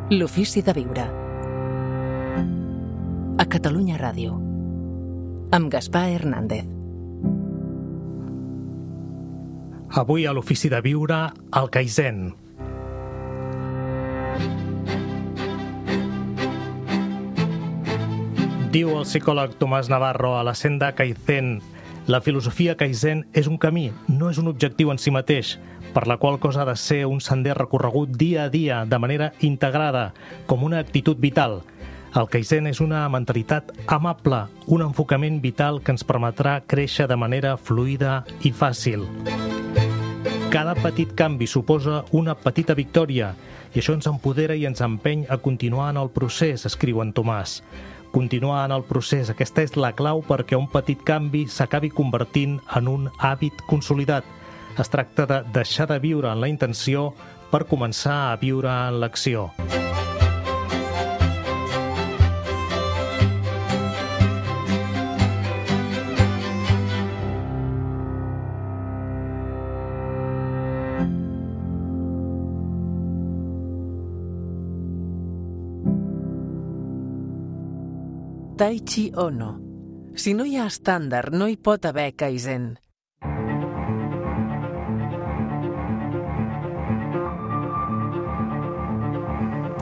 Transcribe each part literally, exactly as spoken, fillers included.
L'ofici de viure. A Catalunya Ràdio. Amb Gaspar Hernández. Avui a l'ofici de viure, el Kaizen. Diu el psicòleg Tomàs Navarro a la Senda Kaizen: la filosofia Kaizen és un camí, no és un objectiu en si mateix, per la qual cosa ha de ser un sender recorregut dia a dia, de manera integrada, com una actitud vital. El Kaizen és una mentalitat amable, un enfocament vital que ens permetrà créixer de manera fluida i fàcil. Cada petit canvi suposa una petita victòria, i això ens empodera i ens empeny a continuar en el procés, escriu en Tomàs. Continuar en el procés, aquesta és la clau perquè un petit canvi s'acabi convertint en un hàbit consolidat. Es tracta de deixar de viure en la intenció per començar a viure en l'acció. Taichi Ohno. Si no hi ha estàndard, no hi pot haver Kaizen.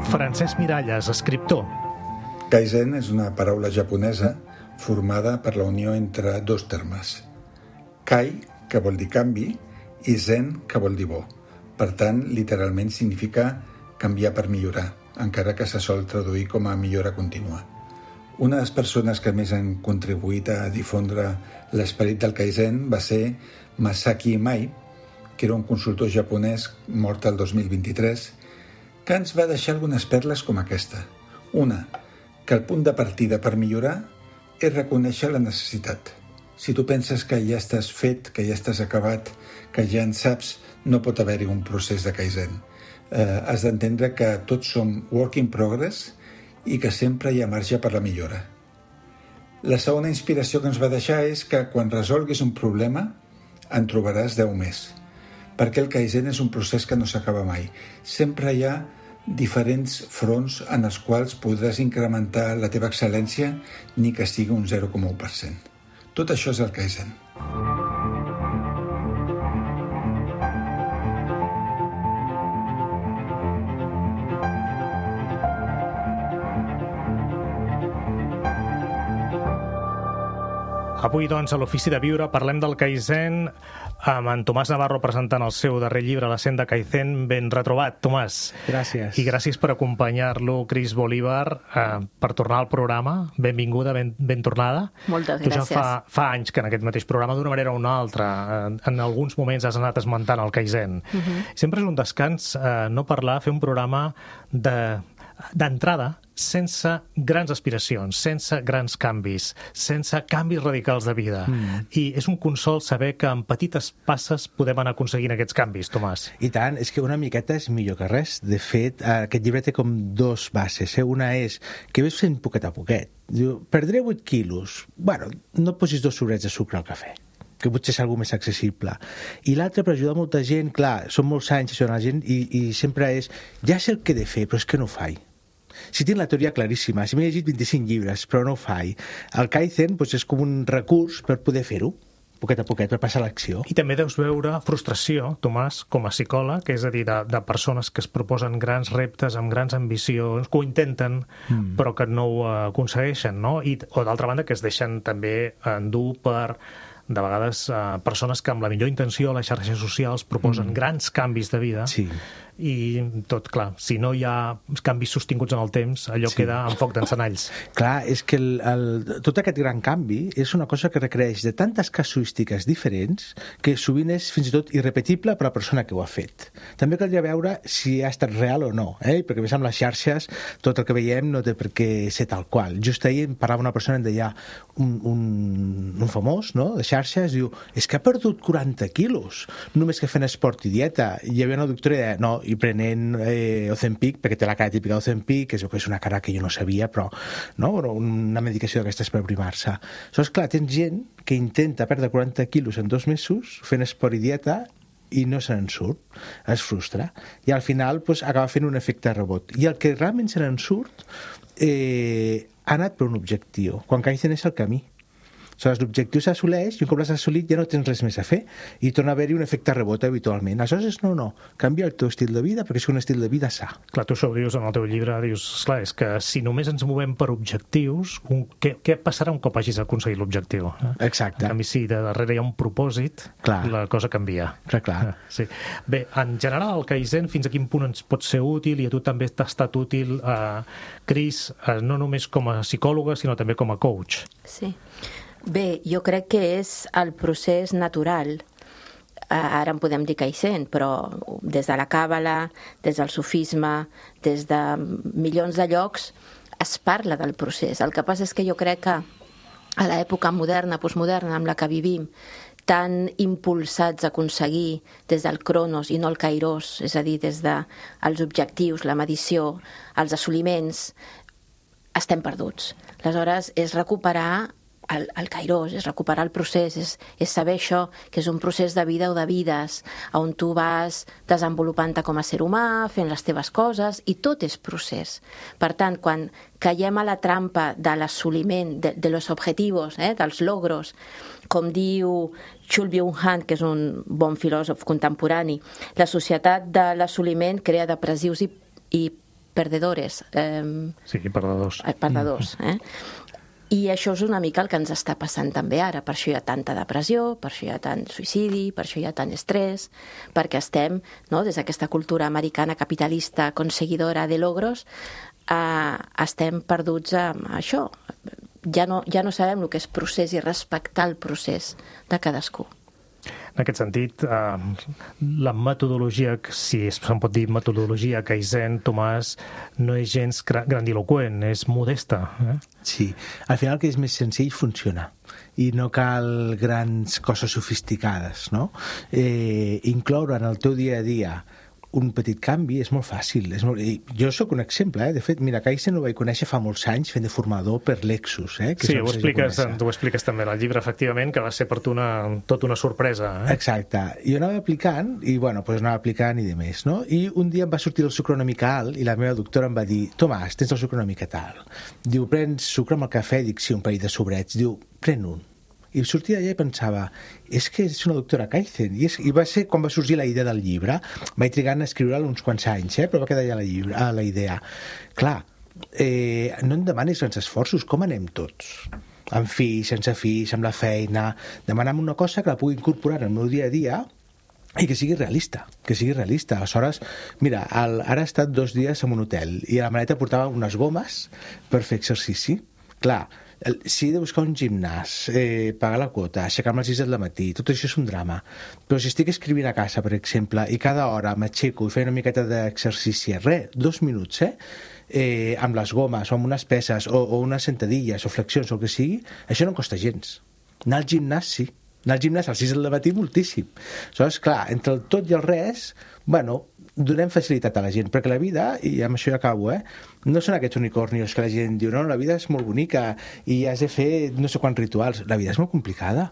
Francesc Miralles, escriptor. Kaizen és una paraula japonesa formada per la unió entre dos termes. Kai, que vol dir canvi, i Zen, que vol dir bo. Per tant, literalment significa canviar per millorar, encara que se sol traduir com a millora contínua. Una de les persones que més han contribuït a difondre l'esperit del Kaizen va ser Masaki Imai, que era un consultor japonès mort el dos mil vint-i-tres, que ens va deixar algunes perles com aquesta. Una, que el punt de partida per millorar és reconèixer la necessitat. Si tu penses que ja estàs fet, que ja estàs acabat, que ja en saps, no pot haver-hi un procés de Kaizen. Eh, has d'entendre que tots som work in progress i que sempre hi ha marge per la millora. La segona inspiració que ens va deixar és que quan resolguis un problema en trobaràs deu més, perquè el Kaizen és un procés que no s'acaba mai. Sempre hi ha diferents fronts en els quals podràs incrementar la teva excel·lència ni que sigui un zero coma u per cent. Tot això és el Kaizen. Avui, doncs, a l'Ofici de Viure parlem del Kaizen amb en Tomàs Navarro presentant el seu darrer llibre, La Senda Kaizen. Ben retrobat, Tomàs. Gràcies. I gràcies per acompanyar-lo, Cris Bolívar, eh, per tornar al programa. Benvinguda, ben, ben tornada. Moltes tu gràcies. Tu ja fa, fa anys que en aquest mateix programa, d'una manera o una altra, en, en alguns moments has anat esmentant el Kaizen. Uh -huh. Sempre és un descans eh, no parlar, fer un programa de... d'entrada, sense grans aspiracions, sense grans canvis, sense canvis radicals de vida. Mm. I és un consol saber que amb petites passes podem anar aconseguint aquests canvis, Tomàs. I tant, és que una miqueta és millor que res. De fet, aquest llibre té com dos bases. Eh? Una és que ves fent poquet a poquet. Diu, perdré vuit quilos. Bueno, no posis dos sobrets de sucre al cafè, que potser és alguna més accessible. I l'altre, per ajudar molta gent, clar, són molts anys això la gent, i, i sempre és, ja sé el que he de fer, però és que no ho faig. Si tinc la teoria claríssima, si m'he llegit vint-i-cinc llibres, però no ho faig. El Kaizen doncs, és com un recurs per poder fer-ho, poquet a poquet, per passar a l'acció. I també deus veure frustració, Tomàs, com a psicòleg, és a dir, de, de persones que es proposen grans reptes amb grans ambicions, que ho intenten, mm. però que no ho aconsegueixen, no? I, o d'altra banda, que es deixen també endur per... de vegades eh, persones que amb la millor intenció a les xarxes socials proposen mm. grans canvis de vida. Sí. I tot, clar, si no hi ha canvis sostinguts en el temps, allò sí. queda en foc d'encenalls. Clar, és que el, el, tot aquest gran canvi és una cosa que requereix de tantes casuístiques diferents que sovint és fins i tot irrepetible per a la persona que ho ha fet. També caldria veure si ha estat real o no, eh? Perquè més amb les xarxes tot el que veiem no té per què ser tal qual. Just ahir em parlava una persona, em deia un, un, un famós, no?, de xarxes, diu, és que ha perdut quaranta quilos, només que fent esport i dieta. I hi havia una doctora i deia, no, i prenent eh, Ozempic, perquè té la cara típica d'Ozempic, que és una cara que jo no sabia, però no? Una medicació d'aquestes per primar-se. Aleshores, clar, tens gent que intenta perdre quaranta quilos en dos mesos fent esport i dieta i no se n'en surt, es frustra, i al final pues, acaba fent un efecte rebot. I el que realment se n'en surt eh, ha anat per un objectiu, quan Kaizen és el camí. Aleshores, l'objectiu s'assoleix i un cop l'has assolit ja no tens res més a fer i torna a haver-hi un efecte rebot habitualment. Aleshores, no, no, canvia el teu estil de vida perquè és un estil de vida sa. Clar, tu això ho dius en el teu llibre, dius, esclar, és que si només ens movem per objectius, un, què, què passarà un cop hagis aconseguit l'objectiu? Eh? Exacte. En canvi, si de darrere hi ha un propòsit, clar, la cosa canvia. Clar, clar. Sí. Bé, en general, el Kaizen fins a quin punt ens pot ser útil i a tu també t'ha estat útil, eh, Cris, eh, no només com a psicòloga, sinó també com a coach. Sí. Bé, jo crec que és el procés natural. Ara en podem dir Kaizen, però des de la Càbala, des del sufisme, des de milions de llocs, es parla del procés. El que passa és que jo crec que a l'època moderna, postmoderna, amb la que vivim, tan impulsats a aconseguir des del cronos i no el kairos, és a dir, des dels objectius, la medició, els assoliments, estem perduts. Aleshores, és recuperar El, el kairos, és recuperar el procés, és, és saber això, que és un procés de vida o de vides, on tu vas desenvolupant-te com a ser humà, fent les teves coses, i tot és procés. Per tant, quan caiem a la trampa de l'assoliment, de, de los objetivos, eh, dels logros, com diu Chul Byung-Han, que és un bon filòsof contemporani, la societat de l'assoliment crea depressius i, i perdedores. Eh, sí, perdedors. Eh, perdedors, eh? I això és una mica el que ens està passant també ara. Per això hi ha tanta depressió, per això hi ha tant suïcidi, per això hi ha tant estrès, perquè estem, no, des d'aquesta cultura americana capitalista conseguidora de logros, eh, estem perduts amb això. Ja no, ja no sabem el que és procés i respectar el procés de cadascú. En aquest sentit, eh, la metodologia, si se'n pot dir metodologia Kaizen, Tomàs, no és gens grandiloquent, és modesta. Eh? Sí, al final que és més senzill funciona i no cal grans coses sofisticades, no? Eh, incloure en el teu dia a dia un petit canvi és molt fàcil. És molt... Jo sóc un exemple, eh? De fet, mira, Kaizen ho vaig conèixer fa molts anys fent de formador per Lexus. Eh? Que sí, ho expliques, ho expliques també en el llibre, efectivament, que va ser per tu una, tot una sorpresa. Eh? Exacte. Jo anava aplicant, i bueno, pues anava aplicant i de més, no? I un dia em va sortir el sucre una mica alt i la meva doctora em va dir: Tomàs, tens el sucre una mica alt. Diu, prens sucre amb el cafè? Dic, sí, un parell de sobrets. Diu, pren un. I sortia d'allà i pensava, és que és una doctora Kaizen. I, és, I va ser quan va sorgir la idea del llibre. Vaig trigar a escriure'l uns quants anys, eh? Però va quedar allà la, llibre, a la idea. Clar, eh, no em demanis grans esforços, com anem tots? Amb fills, sense fills, amb la feina. Demana'm una cosa que la pugui incorporar al meu dia a dia i que sigui realista, que sigui realista. Aleshores, mira, el, ara he estat dos dies en un hotel i a la maleta portava unes gomes per fer exercici. Clar, si he de buscar un gimnàs, eh, pagar la quota, aixecar-me a les sis del matí, tot això és un drama. Però si estic escrivint a casa, per exemple, i cada hora m'aixeco i faig una miqueta d'exercici, res, dos minuts, eh? eh amb les gomes, o amb unes peses, o, o unes sentadilles, o flexions, o el que sigui, això no em costa gens. Anar al gimnàs, sí. Anar al gimnàs a les sis del matí, moltíssim. Aleshores, clar, entre el tot i el res, bueno, donem facilitat a la gent, perquè la vida, i amb això ja acabo, eh, no són aquests unicornios que la gent diu, no, la vida és molt bonica i has de fer no sé quants rituals. La vida és molt complicada.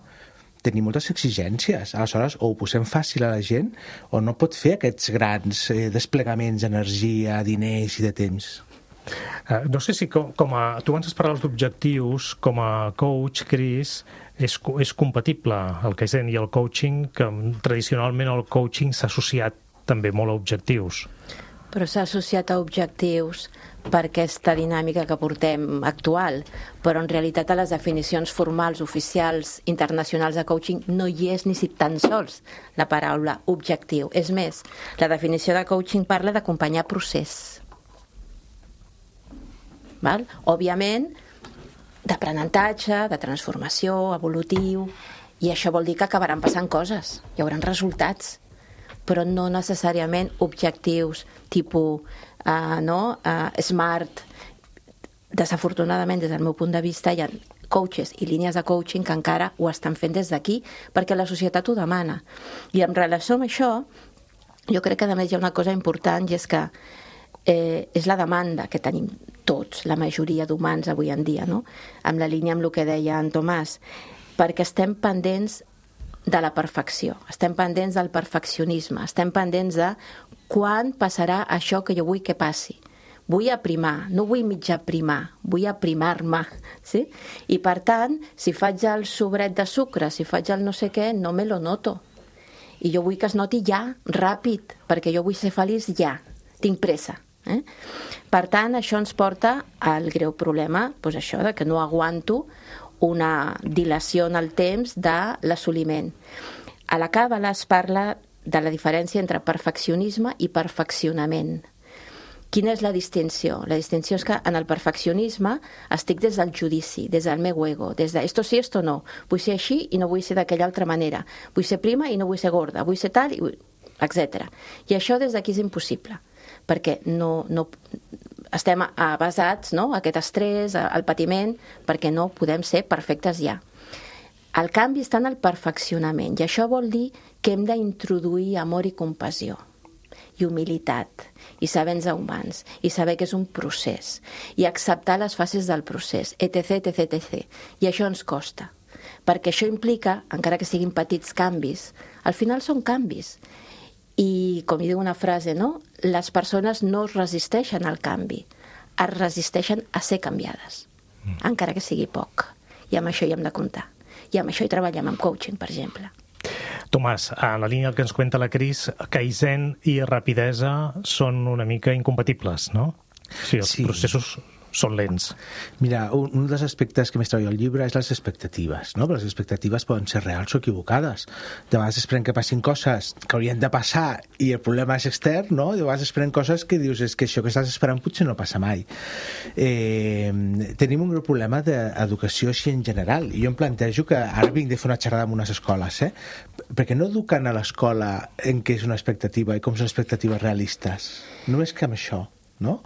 Tenim moltes exigències. Aleshores, o ho posem fàcil a la gent o no pot fer aquests grans eh, desplegaments d'energia, diners i de temps. Uh, no sé si com, com a... Tu abans parlaves d'objectius, com a coach, Cris, és, és compatible el Kaizen i el coaching, que tradicionalment el coaching s'ha associat també molt a objectius. Però s'ha associat a objectius per aquesta dinàmica que portem actual, però en realitat a les definicions formals, oficials, internacionals de coaching no hi és ni si tan sols la paraula objectiu. És més, la definició de coaching parla d'acompanyar procés. Val? Òbviament, d'aprenentatge, de transformació, evolutiu, i això vol dir que acabaran passant coses, hi haurà resultats, però no necessàriament objectius tipus uh, no? uh, smart. Desafortunadament, des del meu punt de vista, hi ha coaches i línies de coaching que encara ho estan fent des d'aquí perquè la societat ho demana. I en relació amb això, jo crec que a més hi ha una cosa important, i és que eh, és la demanda que tenim tots, la majoria d'humans avui en dia, no? Amb la línia amb el que deia en Tomàs, perquè estem pendents de la perfecció, estem pendents del perfeccionisme, estem pendents de quan passarà això que jo vull que passi. Vull aprimar, no vull mig aprimar, vull aprimar-me, sí? I per tant, si faig el sobret de sucre, si faig el no sé què, no me lo noto. I jo vull que es noti ja, ràpid, perquè jo vull ser feliç ja, tinc pressa. Eh? Per tant, això ens porta al greu problema, doncs això, de que no aguanto una dilació en el temps de l'assoliment. A la Càbala es parla de la diferència entre perfeccionisme i perfeccionament. Quina és la distinció? La distinció és que en el perfeccionisme estic des del judici, des del meu ego, des de esto sí, esto no. Vull ser així i no vull ser d'aquella altra manera. Vull ser prima i no vull ser gorda. Vull ser tal, i vull... etcètera. I això des d'aquí és impossible, perquè no, no estem basats, no?, aquest estrès, el patiment, perquè no podem ser perfectes ja. El canvi està en el perfeccionament, i això vol dir que hem d'introduir amor i compassió, i humilitat, i saber-nos humans, i saber que és un procés, i acceptar les fases del procés, etc, etc, etc. I això ens costa, perquè això implica, encara que siguin petits canvis, al final són canvis. I, com hi diu una frase, no? Les persones no es resisteixen al canvi, es resisteixen a ser canviades, mm. encara que sigui poc. I amb això hi hem de comptar. I amb això hi treballem amb coaching, per exemple. Tomàs, a la línia que ens cuenta la Cris, Kaizen i rapidesa són una mica incompatibles, no? Sí, els sí. processos són lents. Mira, un, un dels aspectes que més treballo al llibre és les expectatives, no? Però les expectatives poden ser reals o equivocades. De vegades esperem que passin coses que haurien de passar i el problema és extern, no? De vegades esperem coses que dius és que això que estàs esperant potser no passa mai. Eh, tenim un greu problema d'educació així en general, i jo em plantejo que ara vinc de fer una xerrada en unes escoles, eh? Perquè no eduquen a l'escola en què és una expectativa i com són expectatives realistes. Només que amb això. No?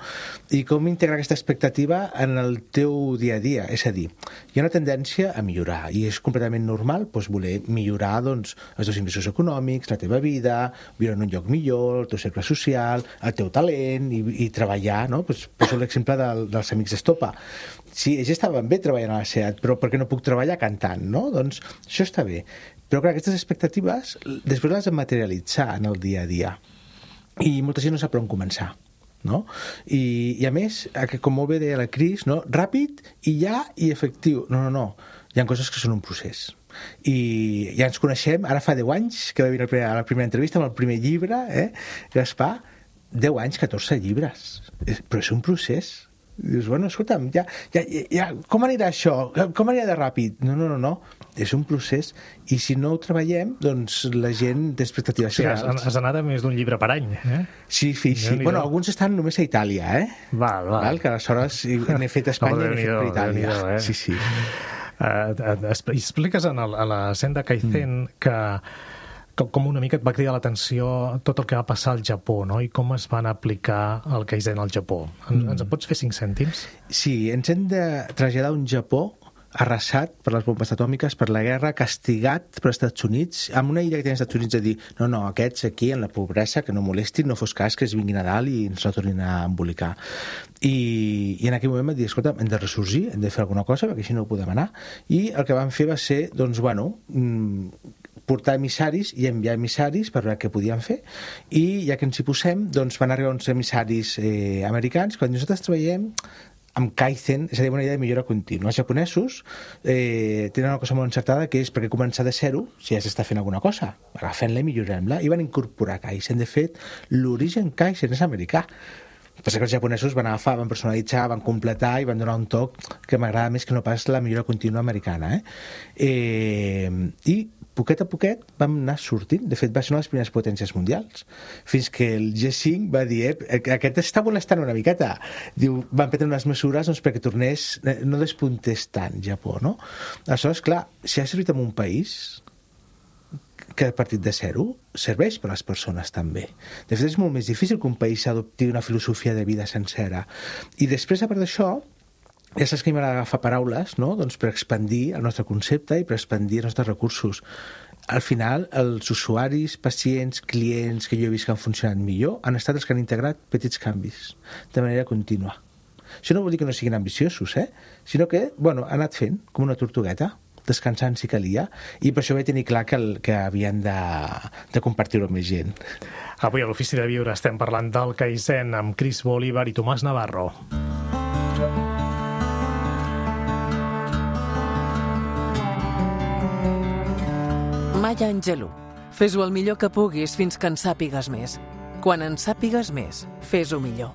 I com integrar aquesta expectativa en el teu dia a dia, és a dir, hi ha una tendència a millorar i és completament normal doncs, voler millorar doncs, els teus ingressos econòmics, la teva vida, viure en un lloc millor, el teu cercle social, el teu talent i, i treballar, no? Pues, poso l'exemple del, dels amics d'Estopa. Sí, ells estaven bé treballant a la SEAT, però per què no puc treballar cantant, no? Doncs això està bé. Però clar, aquestes expectatives després les hem de materialitzar en el dia a dia i molta gent no sap per on començar. No? I, i a més, com molt bé deia la Cris, no? Ràpid i ja i efectiu. No, no, no. Hi ha coses que són un procés. I ja ens coneixem, ara fa deu anys que va venir a la primera entrevista amb el primer llibre, eh? Gaspar, deu anys, catorze llibres. Però és un procés. Dius, bueno, escolta'm, ja, ja, ja, com anirà això? Com anirà de ràpid? No, no, no, no. És un procés i si no ho treballem, doncs la gent té expectatives sí, reals. Has, has anat a més d'un llibre per any, eh? Sí, sí, sí. No, bueno, alguns estan només a Itàlia, eh? Val, val. val que aleshores n'he fet a Espanya i n'he fet per Itàlia. Eh? Sí, sí. Uh, expliques en el, a la senda Kaizen mm. que com una mica et va cridar l'atenció tot el que va passar al Japó, no? I com es van aplicar el Kaizen al Japó. En, mm. Ens en pots fer cinc cèntims? Sí, ens hem de traslladar un Japó arrasat per les bombes atòmiques, per la guerra, castigat per Estats Units, amb una idea que tenen els Estats Units de dir no, no, aquests aquí en la pobresa, que no molestin, no fos cas que es vinguin a dalt i ens la tornin a embolicar. I, i en aquell moment vam dir, escolta, hem de ressorgir, hem de fer alguna cosa, perquè així no ho podem anar. I el que vam fer va ser, doncs, bueno, portar emissaris i enviar emissaris per veure què podien fer, i ja que ens hi posem, doncs van arribar uns emissaris eh, americans, quan nosaltres treballem amb Kaizen, és a dir, una idea de millora contínua. Els japonesos eh, tenen una cosa molt encertada, que és perquè començar de zero si ja s'està fent alguna cosa. Agafem-la i millorem-la. I van incorporar Kaizen. De fet, l'origen Kaizen és americà. Passa que els japonesos van agafar, van personalitzar, van completar i van donar un toc que m'agrada més que no pas la millora contínua americana. Eh? Eh, I poquet a poquet vam anar sortint. De fet, va ser una de les primeres potències mundials. Fins que el G cinc va dir, eh, aquest està molestant una miqueta. Diu, van prendre unes mesures doncs, perquè tornés, no despuntés tant Japó, no? Aleshores, clar, si ha servit en un país que a partir de zero serveix per a les persones també. De fet, és molt més difícil que un país adopti una filosofia de vida sencera. I després, a part d'això, ja saps que m'agrada agafar paraules, no? Doncs per expandir el nostre concepte i per expandir els nostres recursos. Al final, els usuaris, pacients, clients que jo he vist que han funcionat millor han estat els que han integrat petits canvis de manera contínua. Això no vol dir que no siguin ambiciosos, eh? Sinó que, bueno, han anat fent com una tortugueta. descansant si calia, i per això vaig tenir clar que, el, que havien de, de compartir-ho amb més gent. Avui a l'Ofici de Viure estem parlant del Kaizen amb Chris Bolívar i Tomàs Navarro. Maya Angelou. Fes-ho el millor que puguis fins que en sàpigues més. Quan en sàpigues més, fes-ho millor.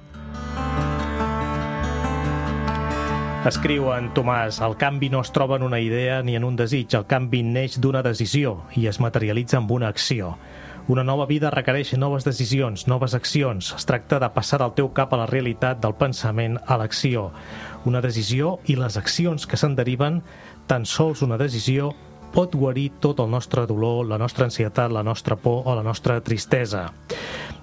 Escriu en Tomàs: el canvi no es troba en una idea ni en un desig, el canvi neix d'una decisió i es materialitza amb una acció. Una nova vida requereix noves decisions, noves accions. Es tracta de passar del teu cap a la realitat, del pensament a l'acció. Una decisió i les accions que se'n deriven, tan sols una decisió pot guarir tot el nostre dolor, la nostra ansietat, la nostra por o la nostra tristesa.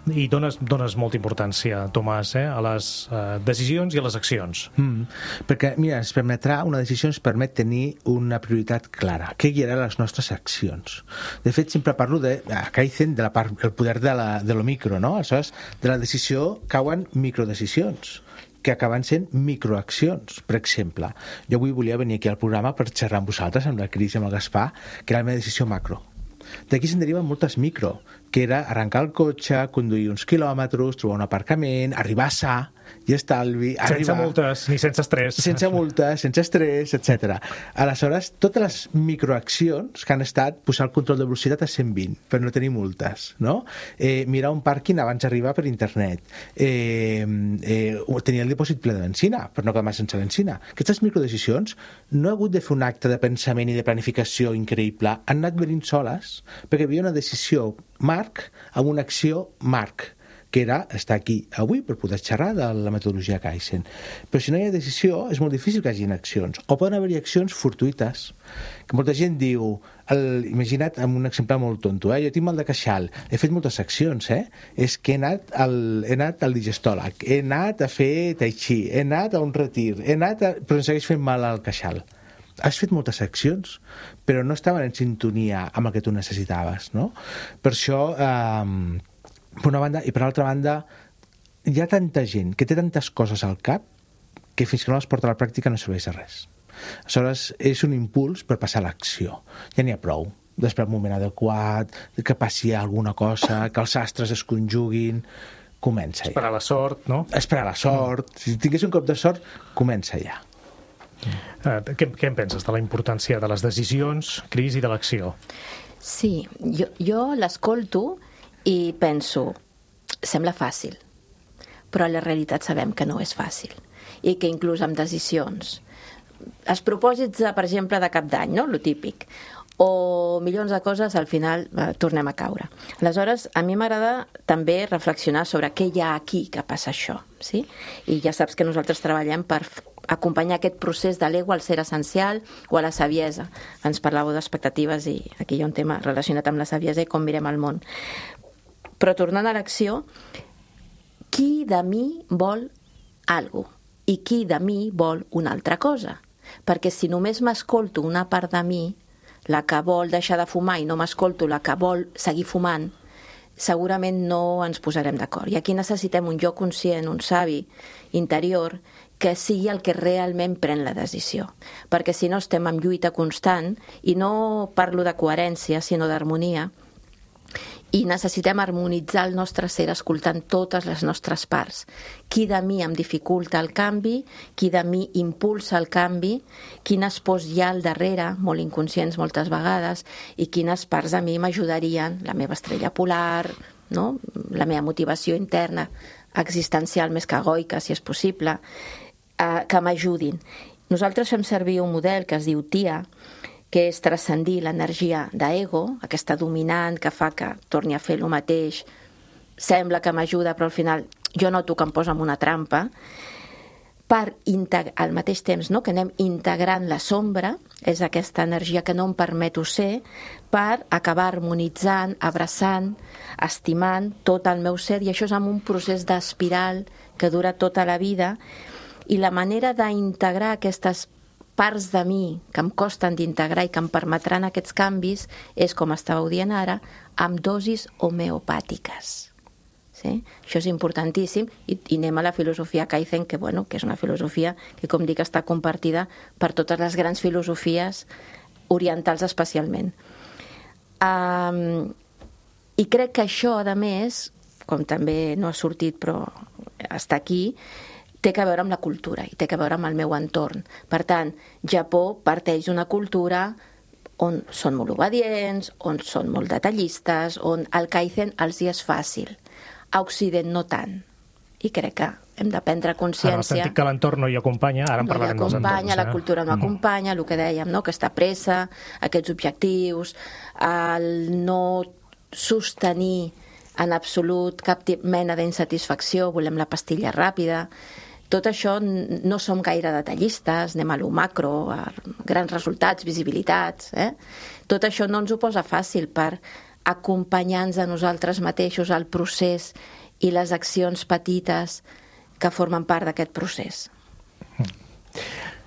I dones, dones molta importància, Tomàs, eh, a les eh, decisions i a les accions. Mm, perquè, mira, ens permetrà, una decisió ens permet tenir una prioritat clara. Què guiarà les nostres accions? De fet, sempre parlo de, a Kaizen, de la part, el poder de, la, de lo micro, no? Aleshores, de la decisió cauen microdecisions que acaben sent microaccions. Per exemple, jo avui volia venir aquí al programa per xerrar amb vosaltres, amb la Cris i amb el Gaspar, que era la meva decisió macro. D'aquí se'n deriven moltes micro, que era arrencar el cotxe, conduir uns quilòmetres, trobar un aparcament, arribar sa i estalvi... Sense arribar... multes, ni sense estrès. Sense multes, sense estrès, etcètera. Aleshores, totes les microaccions que han estat posar el control de velocitat a cent vint per no tenir multes, no? Eh, mirar un pàrquing abans d'arribar per internet, eh, eh, tenir el dipòsit ple de benzina per no quedar sense benzina. Aquestes microdecisions no ha hagut de fer un acte de pensament i de planificació increïble, han anat venint soles perquè hi havia una decisió marc amb una acció marc, que era estar aquí avui per poder xerrar de la metodologia Kaizen. Però si no hi ha decisió, és molt difícil que hi hagi accions. O poden haver-hi accions fortuïtes, que molta gent diu, el, imagina't amb un exemple molt tonto, eh? Jo tinc mal de queixal, he fet moltes accions, eh? És que he anat al, he anat al digestòleg, he anat a fer tai chi, he anat a un retir, he anat a... però em segueix fent mal al queixal. Has fet moltes accions, però no estaven en sintonia amb el que tu necessitaves, no? Per això... Eh, per una banda, i per l'altra banda hi ha tanta gent que té tantes coses al cap que fins que no les porta a la pràctica no serveix de res. Aleshores, és un impuls per passar a l'acció. Ja n'hi ha prou d'esperar un moment adequat, que passi alguna cosa, que els astres es conjuguin. Comença ja. Esperar la sort, no? Esperar la sort. Si tingués un cop de sort, comença ja. Uh, què, què en penses de la importància de les decisions, Cris, i de l'acció? Sí, jo, jo l'escolto i penso, sembla fàcil, però la realitat sabem que no és fàcil i que inclús amb decisions, els propòsits, per exemple, de cap d'any, no? Lo típic, o milions de coses, al final eh, tornem a caure. Aleshores, a mi m'agrada també reflexionar sobre què hi ha aquí que passa això, sí? I ja saps que nosaltres treballem per acompanyar aquest procés de l'ego al ser essencial o a la saviesa. Ens parlàveu d'expectatives i aquí hi ha un tema relacionat amb la saviesa i com mirem el món. Però tornant a l'acció, qui de mi vol algo i qui de mi vol una altra cosa? Perquè si només m'escolto una part de mi, la que vol deixar de fumar, i no m'escolto la que vol seguir fumant, segurament no ens posarem d'acord. I aquí necessitem un jo conscient, un savi interior, que sigui el que realment pren la decisió. Perquè si no estem en lluita constant, i no parlo de coherència, sinó d'harmonia, i necessitem harmonitzar el nostre ser escoltant totes les nostres parts. Qui de mi em dificulta el canvi, qui de mi impulsa el canvi, quines pors hi ha al darrere, molt inconscients moltes vegades, i quines parts de mi m'ajudarien, la meva estrella polar, no? La meva motivació interna, existencial més que egoica, si és possible, eh, que m'ajudin. Nosaltres fem servir un model que es diu T I A, que és transcendir l'energia d'ego, aquesta dominant que fa que torni a fer el mateix, sembla que m'ajuda, però al final jo noto que em posa en una trampa, per integrar, al mateix temps, no? Que anem integrant la sombra, és aquesta energia que no em permeto ser, per acabar harmonitzant, abraçant, estimant tot el meu ser, i això és amb un procés d'espiral que dura tota la vida, i la manera d'integrar aquestes parts de mi que em costen d'integrar i que em permetran aquests canvis és, com estàveu dient ara, amb dosis homeopàtiques. Sí? Això és importantíssim, i, i anem a la filosofia Kaizen, que, bueno, que és una filosofia que, com dic, està compartida per totes les grans filosofies orientals especialment. Um, I crec que això, a més, com també no ha sortit però està aquí, té que veure amb la cultura i té que veure amb el meu entorn. Per tant, Japó parteix d'una cultura on són molt obedients, on són molt detallistes, on el kaizen els hi és fàcil. A Occident no tant. I crec que hem de prendre consciència... En el sentit que l'entorn no hi acompanya, ara en parlarem dels entorns. No hi acompanya, la cultura no acompanya, el que dèiem, no? Aquesta pressa, aquests objectius, el no sostenir en absolut cap mena d'insatisfacció, volem la pastilla ràpida. Tot això no som gaire detallistes, anem a lo macro, a grans resultats, visibilitats. Eh? Tot això no ens ho posa fàcil per acompanyar-nos a nosaltres mateixos al procés i les accions petites que formen part d'aquest procés.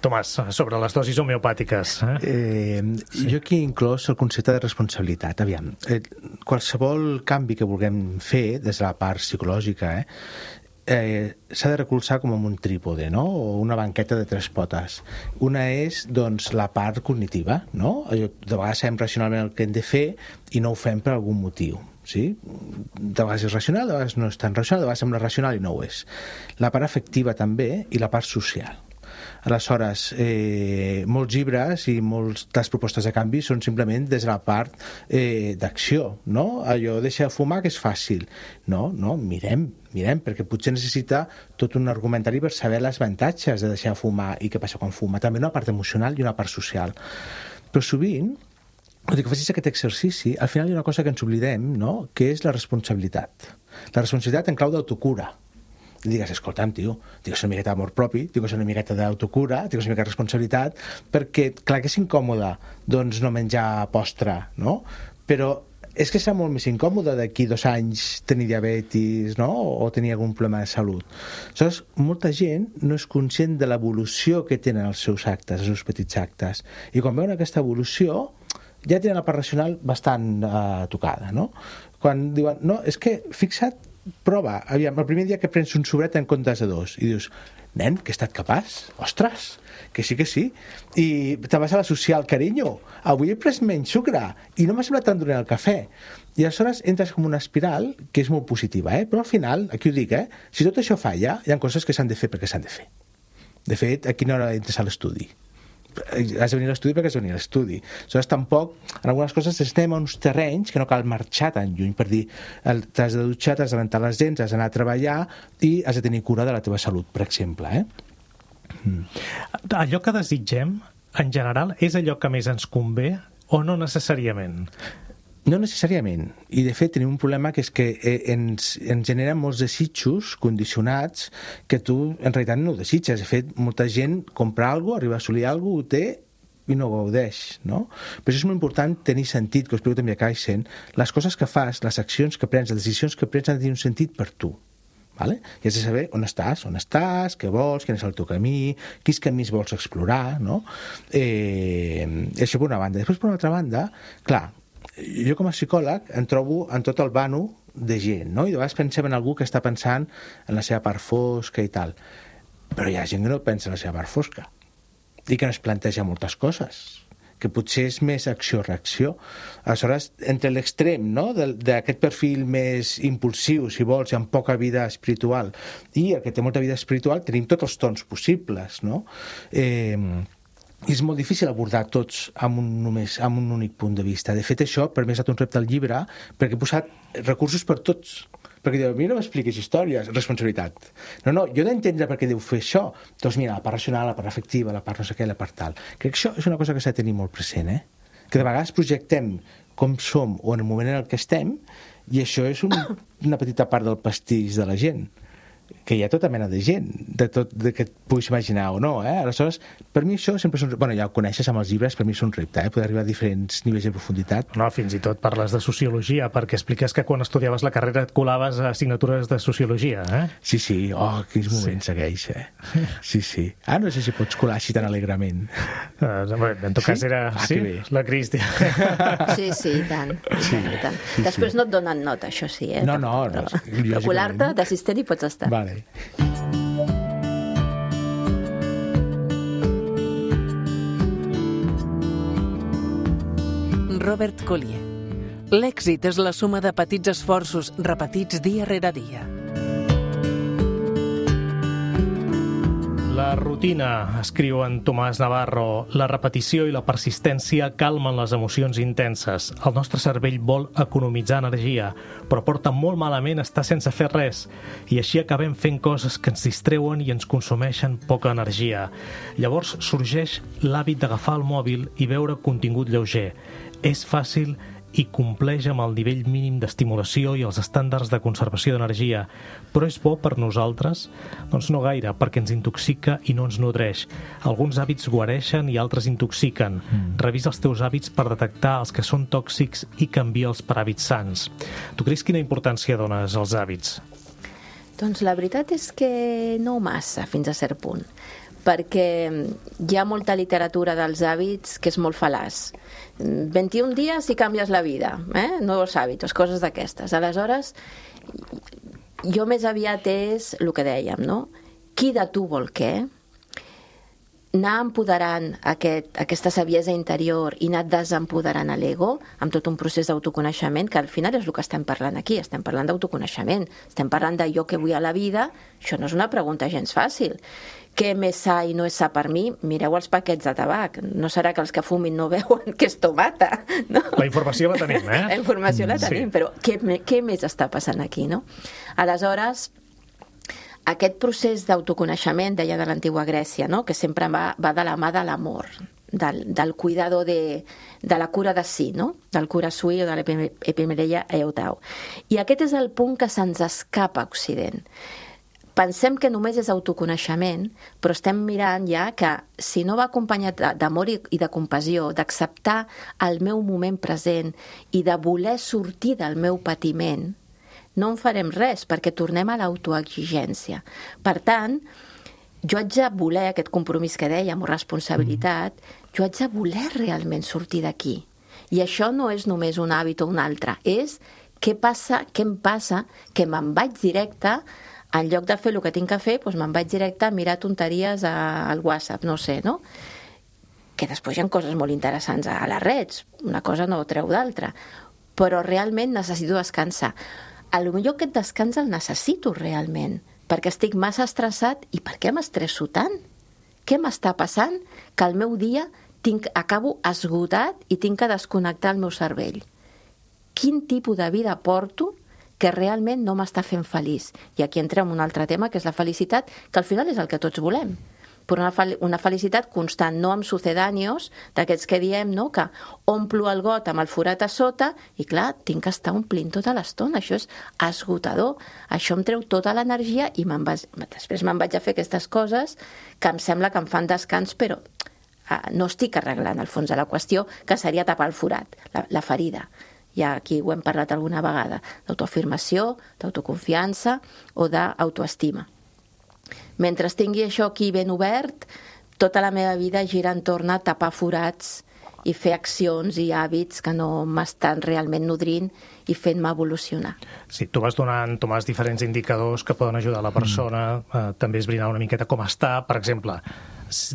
Tomàs, sobre les dosis homeopàtiques. Eh? Eh, sí. Jo aquí he inclòs el concepte de responsabilitat. Aviam, eh, qualsevol canvi que vulguem fer des de la part psicològica eh, eh, s'ha de recolzar com amb un trípode, no? O una banqueta de tres potes. Una és, doncs, la part cognitiva, no? De vegades sabem racionalment el que hem de fer i no ho fem per algun motiu. Sí? De vegades és racional, de vegades no és tan racional, de vegades sembla racional i no ho és. La part afectiva també i la part social. Aleshores, eh, molts llibres i moltes propostes de canvi són simplement des de la part eh, d'acció, no? Allò, deixa de fumar, que és fàcil. No, no, mirem, mirem, perquè potser necessita tot un argumentari per saber els avantatges de deixar de fumar i què passa quan fuma. També una part emocional i una part social. Però sovint, tot i que facis aquest exercici, al final hi ha una cosa que ens oblidem, no? Que és la responsabilitat. La responsabilitat en clau d'autocura. I digues, escolta'm, tio, digues una miqueta d'amor propi, digues una miqueta d'autocura, digues una miqueta de responsabilitat, perquè, clar que és incòmode, doncs, no menjar postre, no? Però és que serà molt més incòmode d'aquí dos anys tenir diabetis, no? O tenir algun problema de salut. Aleshores, molta gent no és conscient de l'evolució que tenen els seus actes, els seus petits actes. I quan veuen aquesta evolució, ja tenen la part racional bastant eh, tocada, no? Quan diuen, no, és que, fixa't, prova, aviam, el primer dia que prens un sobret en comptes de dos, i dius, nen, que he estat capaç, ostres, que sí que sí, i te vas a l'associar al carinyo, avui he pres menys sucre, i no m'ha semblat tan dolent el cafè, i aleshores entres com una espiral que és molt positiva, eh? Però al final, aquí ho dic, eh? Si tot això falla, hi ha coses que s'han de fer perquè s'han de fer. De fet, a quina hora entres a l'estudi? Has de venir a l'estudi perquè has de venir a l'estudi. Aleshores, tampoc, en algunes coses estem a uns terrenys que no cal marxar tan lluny per dir, t'has de dutxar, t'has de rentar les dents, has d'anar a treballar i has de tenir cura de la teva salut, per exemple. Eh? Mm. Allò que desitgem, en general, és allò que més ens convé o no necessàriament? No necessàriament. I, de fet, tenim un problema que és que ens, ens generen molts desitjos condicionats que tu, en realitat, no ho desitges. De fet, molta gent compra alguna cosa, arriba a assolir alguna cosa, ho té i no ho gaudeix, no? Però això és molt important tenir sentit, que ho explico també a Kaizen. Les coses que fas, les accions que prens, les decisions que prens han de tenir un sentit per tu. Vale? I has de saber on estàs, on estàs, què vols, quin és el teu camí, quins camins vols explorar, no? Eh, això per una banda. Després, per una altra banda, clar, jo com a psicòleg em trobo en tot el vano de gent, no? I de vegades pensem en algú que està pensant en la seva part fosca i tal. Però hi ha gent que no pensa en la seva part fosca i que no es planteja moltes coses, que potser és més acció-reacció. Aleshores, entre l'extrem, no?, d'aquest perfil més impulsiu, si vols, i amb poca vida espiritual, i el que té molta vida espiritual, tenim tots els tons possibles, no? Eh... I és molt difícil abordar tots amb un, només, amb un únic punt de vista. De fet, això per mi ha estat un repte al llibre, perquè he posat recursos per tots. Perquè diu, a mi no m'expliquis històries, responsabilitat. No, no, jo he d'entendre per què deu fer això. Doncs mira, la part racional, la part afectiva, la part no sé què, la part tal. Crec que això és una cosa que s'ha de tenir molt present, eh? Que de vegades projectem com som o en el moment en el que estem, i això és un, una petita part del pastís de la gent. Que hi ha tota mena de gent, de tot de que et puguis imaginar o no, eh? Aleshores, per mi això sempre és un... Bueno, ja ho coneixes amb els llibres, per mi és un repte, eh? Poder arribar a diferents nivells de profunditat. No, fins i tot parles de sociologia, perquè expliques que quan estudiaves la carrera et colaves a assignatures de sociologia, eh? Sí, sí, oh, quins moments sí. Segueix, eh? Sí, sí. Ah, no sé si pots colar així tan alegrament. Uh, bé, en tot cas sí? era... Ah, sí, la Cristia. Sí, sí, i tant. Sí, i tant. Sí, Després sí. No et donen nota, això sí, eh? No, no, no. Però colar-te d'assistent hi pots estar. Vale. Robert Collier. L'èxit és la suma de petits esforços repetits dia rere dia. La rutina, escriu en Tomàs Navarro, la repetició i la persistència calmen les emocions intenses. El nostre cervell vol economitzar energia, però porta molt malament estar sense fer res. I així acabem fent coses que ens distreuen i ens consumeixen poca energia. Llavors sorgeix l'hàbit d'agafar el mòbil i veure contingut lleuger. És fàcil i compleix amb el nivell mínim d'estimulació i els estàndards de conservació d'energia. Però és bo per nosaltres? Doncs no gaire, perquè ens intoxica i no ens nodreix. Alguns hàbits guareixen i altres intoxiquen. Mm. Revisa els teus hàbits per detectar els que són tòxics i canvia'ls per hàbits sants. Tu creus quina importància dones als hàbits? Doncs la veritat és que no massa, fins a cert punt, perquè hi ha molta literatura dels hàbits que és molt fal·laç. vint-i-un dies i canvies la vida, eh? Nous hàbits, coses d'aquestes. Aleshores, jo més aviat és el que dèiem, no? Qui de tu vol què? Anar empoderant aquest, aquesta saviesa interior i anar desempoderant a l'ego amb tot un procés d'autoconeixement, que al final és el que estem parlant aquí, estem parlant d'autoconeixement, estem parlant de jo què vull a la vida. Això no és una pregunta gens fàcil. Què més sa i no és sa per mi? Mireu els paquets de tabac. No serà que els que fumin no veuen que és tomata, no? La informació la tenim, eh? La informació la tenim, sí. Però què, què més està passant aquí, no? Aleshores, aquest procés d'autoconeixement, deia de l'antiga Grècia, no? Que sempre va, va de la mà de l'amor, del, del cuidado de, de la cura de si, no? Del cura sui o de l'epimereia eutau. I aquest és el punt que se'ns escapa a Occident. Pensem que només és autoconeixement, però estem mirant ja que si no va acompanyat d'amor i de compassió, d'acceptar el meu moment present i de voler sortir del meu patiment, no en farem res, perquè tornem a l'autoexigència. Per tant, jo haig de voler aquest compromís que dèiem, o responsabilitat, jo haig de voler realment sortir d'aquí. I això no és només un hàbit o un altre, és què passa, què em passa, que me'n vaig directe, en lloc de fer el que tinc que fer, doncs me'n vaig directe a mirar tonteries al WhatsApp, no sé, no? Que després hi ha coses molt interessants a les redes, una cosa no treu d'altra, però realment necessito descansar. A lo millor aquest descans el necessito realment, perquè estic massa estressat. I per què m'estresso tant? Què m'està passant? Que al meu dia tinc, acabo esgotat i tinc que desconnectar el meu cervell. Quin tipus de vida porto que realment no m'està fent feliç? I aquí entrem en un altre tema, que és la felicitat, que al final és el que tots volem. Però una, fel una felicitat constant, no amb sucedáneos, d'aquests que diem, no? Que omplo el got amb el forat a sota i, clar, tinc que estar omplint tota l'estona. Això és esgotador. Això em treu tota l'energia i me'n vaig... després me'n vaig a fer aquestes coses que em sembla que em fan descans, però ah, no estic arreglant el fons de la qüestió, que seria tapar el forat, la, la ferida. Ja aquí ho hem parlat alguna vegada, d'autoafirmació, d'autoconfiança o d'autoestima. Mentre tingui això aquí ben obert, tota la meva vida gira entorn a tapar forats i fer accions i hàbits que no m'estan realment nodrint i fent-me evolucionar. Sí, tu vas donant, Tomàs, diferents indicadors que poden ajudar la persona, mm. eh, també esbrinar una miqueta com està. Per exemple,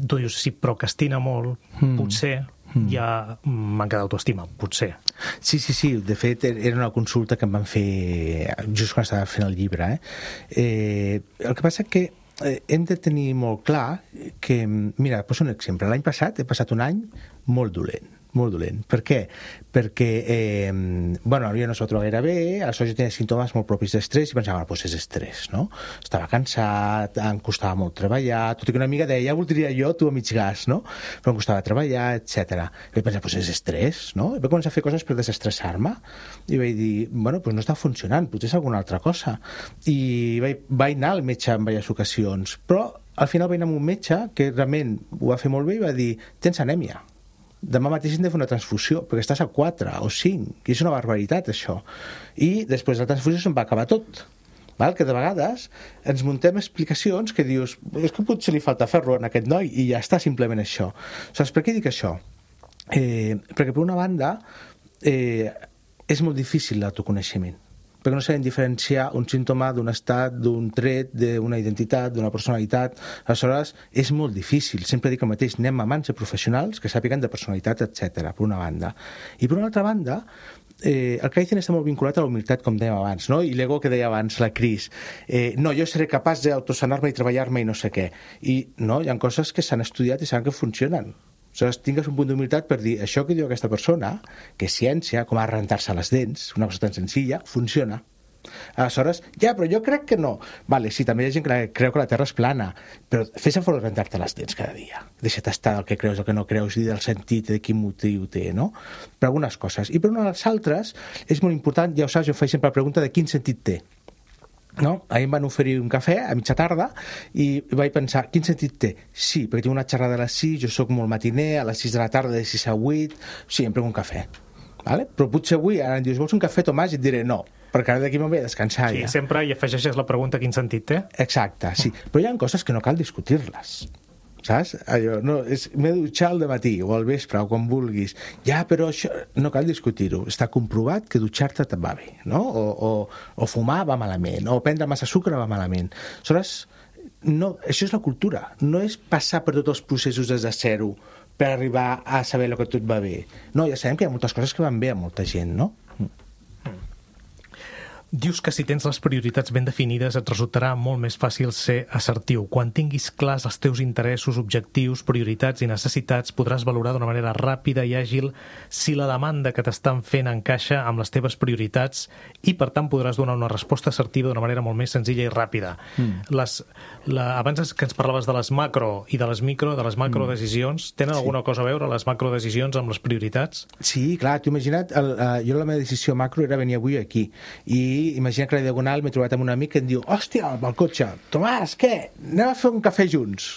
tu dius, si procrastina molt, mm. potser mm. hi ha manca d'autoestima, potser. Sí, sí, sí. De fet, era una consulta que em van fer just quan estava fent el llibre. Eh? Eh, el que passa que eh, hem de tenir molt clar que, mira, poso un exemple. L'any passat he passat un any molt dolent. molt dolent. Per què? Perquè, eh, bueno, jo no s'ho trobo gaire bé, aleshores jo tenia símptomes molt propis d'estrès i pensava, bueno, doncs és estrès, no? Estava cansat, em costava molt treballar, tot i que una amiga deia, ja voldria jo tu a mig gas, no? Però em costava treballar, etcètera. I vaig pensar, doncs és estrès, no? I vaig començar a fer coses per desestressar-me i vaig dir, bueno, doncs no està funcionant, potser és alguna altra cosa. I vaig, vaig anar al metge en diverses ocasions, però al final vaig anar amb un metge que realment ho va fer molt bé i va dir, tens anèmia. Demà mateix hem de fer una transfusió, perquè estàs a quatre o cinc, i és una barbaritat, això. I després de la transfusió se'n va acabar tot. Val? Que de vegades ens muntem explicacions que dius, és que potser li falta ferro en aquest noi, i ja està simplement això. Saps per què dic això? Eh, perquè per una banda eh, és molt difícil l'autoconeixement, perquè no saben diferenciar un símptoma d'un estat, d'un tret, d'una identitat, d'una personalitat. Aleshores, és molt difícil. Sempre dic el mateix, anem a mans de professionals que sàpiguen de personalitat, etcètera, per una banda. I per una altra banda, eh, el Kaizen està molt vinculat a la humilitat, com dèiem abans, no? I l'ego que deia abans, la Cris. Eh, no, jo seré capaç d'autosanar-me i treballar-me i no sé què. I no, hi ha coses que s'han estudiat i saben que funcionen. Aleshores, tingues un punt d'humilitat per dir això que diu aquesta persona, que és ciència, com a rentar-se les dents, una cosa tan senzilla, funciona. Aleshores, ja, però jo crec que no. Vale, sí, també hi ha gent que creu que la Terra és plana, però fes-en fora rentar-te les dents cada dia. Deixa't estar del que creus, del que no creus, i del sentit, de quin motiu té, no? Per algunes coses. I per unes altres, és molt important, ja ho saps, jo faig sempre la pregunta de quin sentit té. No? Ahir em van oferir un cafè a mitja tarda i vaig pensar, quin sentit té? Sí, perquè tinc una xerrada a les sis, jo sóc molt matiner, a les sis de la tarda, de sis a vuit, sí, em prenc un cafè. Vale? Però potser avui ara em dius, vols un cafè, Tomàs? I et diré no, perquè ara d'aquí me'n vaig a descansar. Sí, ja. sempre hi afegeixes la pregunta quin sentit té. Exacte, sí. Però hi ha coses que no cal discutir-les. Saps? Allò, no, és, m'he de dutxar al dematí o al vespre o quan vulguis. Ja, però això no cal discutir-ho. Està comprovat que dutxar-te te'n va bé, no? O, o, o fumar va malament, o prendre massa sucre va malament. Aleshores, no, això és la cultura. No és passar per tots els processos des de zero per arribar a saber el que tot va bé. No, ja sabem que hi ha moltes coses que van bé a molta gent, no? Dius que si tens les prioritats ben definides et resultarà molt més fàcil ser assertiu. Quan tinguis clars els teus interessos, objectius, prioritats i necessitats, podràs valorar d'una manera ràpida i àgil si la demanda que t'estan fent encaixa amb les teves prioritats i, per tant, podràs donar una resposta assertiva d'una manera molt més senzilla i ràpida. Mm. Les, la, abans que ens parlaves de les macro i de les micro, de les macrodecisions, tenen sí. alguna cosa a veure les macrodecisions amb les prioritats? Sí, clar, t'ho imagina't, el, uh, jo la meva decisió macro era venir avui aquí i imagina que a la Diagonal m'he trobat amb un amic que em diu, hòstia, al cotxe, Tomàs, què? Anem a fer un cafè junts.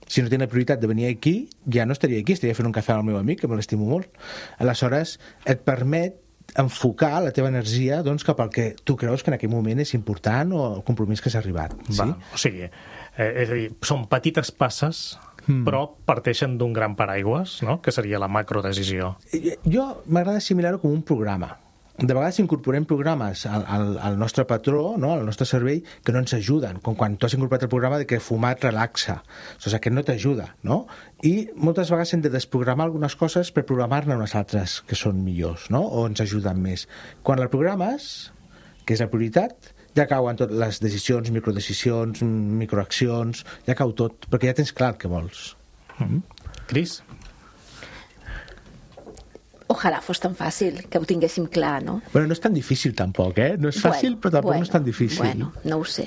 Si no tinc la prioritat de venir aquí, ja no estaria aquí, estaria fent un cafè al meu amic, que me l'estimo molt. Aleshores, et permet enfocar la teva energia doncs, cap al que tu creus que en aquell moment és important o el compromís que s'ha arribat. Sí? Va, o sigui, eh, és a dir, són petites passes mm. però parteixen d'un gran paraigües, no? Que seria la macrodecisió. Jo m'agrada assimilar-ho com un programa. De vegades incorporem programes al, al, al nostre patró, no? Al nostre cervell, que no ens ajuden, com quan tu has incorporat el programa de que fumar et relaxa. O sigui, aquest no t'ajuda, no? I moltes vegades hem de desprogramar algunes coses per programar-ne unes altres que són millors, no? O ens ajuden més. Quan la programes, que és la prioritat, ja cauen totes les decisions, microdecisions, microaccions, ja cau tot, perquè ja tens clar el que vols. Mm-hmm. Cris? Ojalà fos tan fàcil, que ho tinguéssim clar, no? Bueno, no és tan difícil tampoc, eh? No és fàcil, bueno, però tampoc bueno, no és tan difícil. Bueno, no ho sé.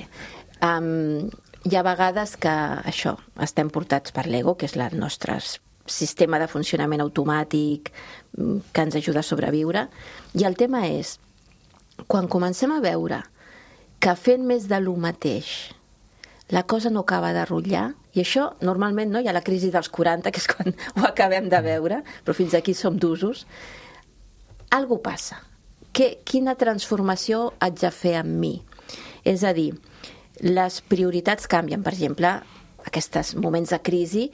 Um, hi ha vegades que, això, estem portats per l'ego, que és el nostre sistema de funcionament automàtic que ens ajuda a sobreviure, i el tema és, quan comencem a veure que fent més de lo mateix la cosa no acaba de rotllar, i això normalment no hi ha la crisi dels quaranta, que és quan ho acabem de veure, però fins aquí som d'usos, algo passa. Que, quina transformació haig de fer amb mi? És a dir, les prioritats canvien, per exemple, aquests moments de crisi,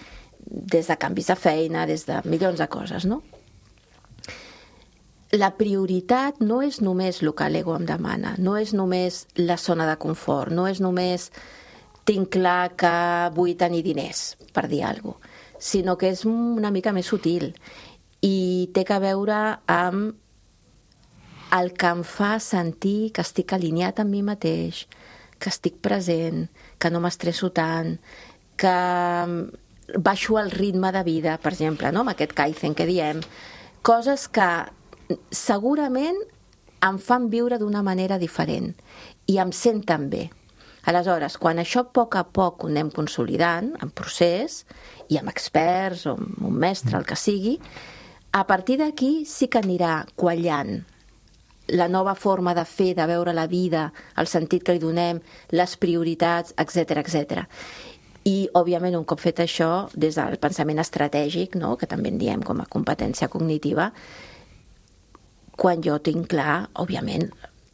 des de canvis de feina, des de milions de coses, no? La prioritat no és només el que l'ego em demana, no és només la zona de confort, no és només tinc clar que vull tenir diners, per dir alguna cosa, sinó que és una mica més sutil i té a veure amb el que em fa sentir que estic alineat amb mi mateix, que estic present, que no m'estresso tant, que baixo el ritme de vida, per exemple, no? Amb aquest Kaizen que diem, coses que segurament em fan viure d'una manera diferent i em senten bé. Aleshores, quan això a poc a poc ho anem consolidant, en procés, i amb experts, o amb un mestre, el que sigui, a partir d'aquí sí que anirà quallant la nova forma de fer, de veure la vida, el sentit que li donem, les prioritats, etcètera, etcètera. I, òbviament, un cop fet això, des del pensament estratègic, no?, que també en diem com a competència cognitiva, quan jo tinc clar, òbviament,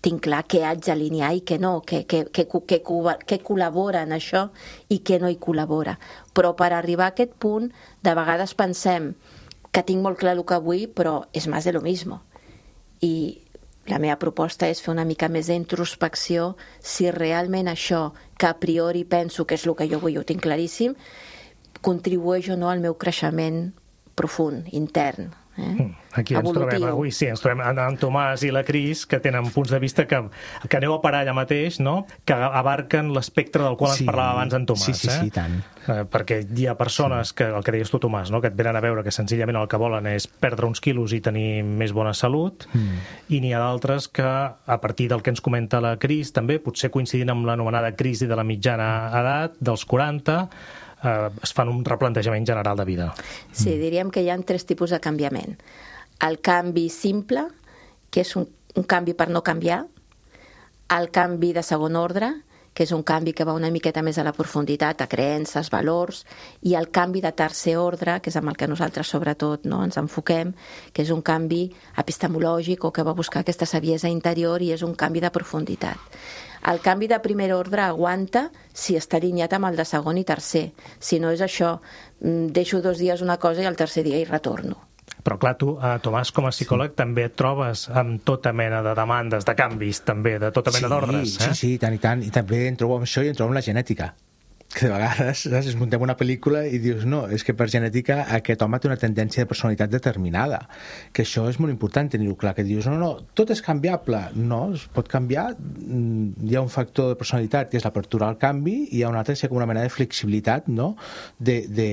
tinc clar què haig d'alinear i què no, què, què, què, què, què col·labora en això i què no hi col·labora. Però per arribar a aquest punt, de vegades pensem que tinc molt clar el que vull, però és més de lo mismo. I la meva proposta és fer una mica més d'introspecció si realment això, que a priori penso que és el que jo vull, ho tinc claríssim, contribueix o no al meu creixement profund, intern. Eh? Aquí ens evolutiu. trobem avui, sí, ens trobem en, en Tomàs i la Cris, que tenen punts de vista que, que aneu a parar allà mateix, no? Que abarquen l'espectre del qual Sí, ens parlava abans en Tomàs. sí, sí, eh? sí, tant. Eh, perquè hi ha persones, que, el que deies tu, Tomàs, no? Que et venen a veure que senzillament el que volen és perdre uns quilos i tenir més bona salut, mm. i n'hi ha d'altres que, a partir del que ens comenta la Cris, també, potser coincidint amb l'anomenada crisi de la mitjana edat, dels quaranta, eh, es fan un replantejament general de vida. Sí, diríem que hi ha tres tipus de canviament. El canvi simple, que és un, un canvi per no canviar, el canvi de segon ordre, que és un canvi que va una miqueta més a la profunditat, a creences, valors, i el canvi de tercer ordre, que és amb el que nosaltres sobretot no, ens enfoquem, que és un canvi epistemològic o que va buscar aquesta saviesa interior i és un canvi de profunditat. El canvi de primer ordre aguanta si està alineat amb el de segon i tercer. Si no és això, deixo dos dies una cosa i el tercer dia hi retorno. Però clar, tu, eh, Tomàs, com a psicòleg, sí. també et trobes amb tota mena de demandes, de canvis, també, de tota mena sí, d'ordres. Eh? Sí, sí, tant i tant. I també em trobo amb això i em trobo amb la genètica. Que de vegades saps, es muntem una pel·lícula i dius no, és que per genètica aquest home té una tendència de personalitat determinada, que això és molt important tenir-ho clar, que dius no, no, tot és canviable, no, es pot canviar, hi ha un factor de personalitat que és l'apertura al canvi i hi ha un altre que és com una mena de flexibilitat, no?, de, de,